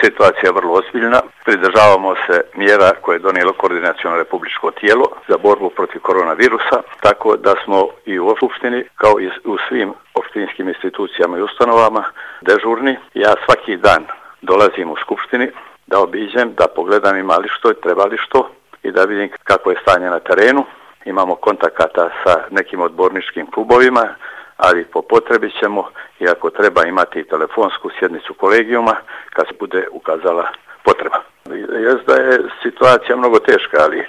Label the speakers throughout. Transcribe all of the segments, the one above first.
Speaker 1: Situacija je vrlo ozbiljna. Pridržavamo se mjera koje je donijelo koordinaciono republičko tijelo za borbu protiv koronavirusa, tako da smo i u Skupštini, kao i u svim opštinskim institucijama i ustanovama, dežurni. Ja svaki dan dolazim u Skupštini da obiđem, da pogledam ima li što i treba li što i da vidim kako je stanje na terenu. Imamo kontakata sa nekim odborničkim klubovima, ali po potrebi ćemo, i ako treba, imati i telefonsku sjednicu kolegijuma kad se bude ukazala potreba. Jest da je situacija mnogo teška, ali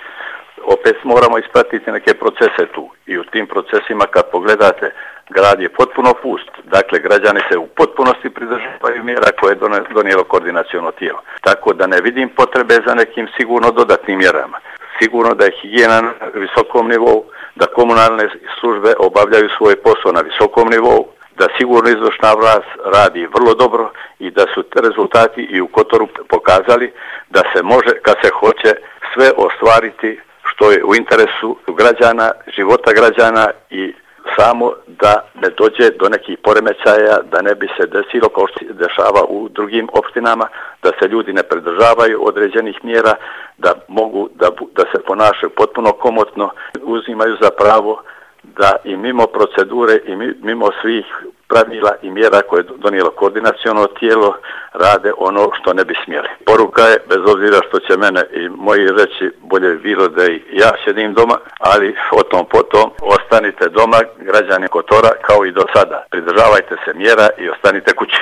Speaker 1: opet moramo ispratiti neke procese tu. I u tim procesima kad pogledate, grad je potpuno pust. Dakle, građani se u potpunosti pridržavaju mjera koje je donijelo koordinaciono tijelo. Tako da ne vidim potrebe za nekim sigurno dodatnim mjerama. Sigurno da je higijena na visokom nivou, da komunalne službe obavljaju svoj posao na visokom nivou, da sigurno izvršna vlast radi vrlo dobro i da su rezultati i u Kotoru pokazali da se može, kad se hoće, sve ostvariti što je u interesu građana, života građana i samo da ne dođe do nekih poremećaja, da ne bi se desilo kao što se dešava u drugim opštinama, da se ljudi ne pridržavaju određenih mjera, da mogu da se ponašaju potpuno komotno, uzimaju za pravo da i mimo procedure i mimo svih pravila i mjera koje je donijelo koordinaciono tijelo rade ono što ne bi smjeli. Poruka je, bez obzira što će mene i moji reći, bolje bi bilo da i ja sjedim doma, ali o tom potom ostanite doma, građani Kotora, kao i do sada. Pridržavajte se mjera i ostanite kući.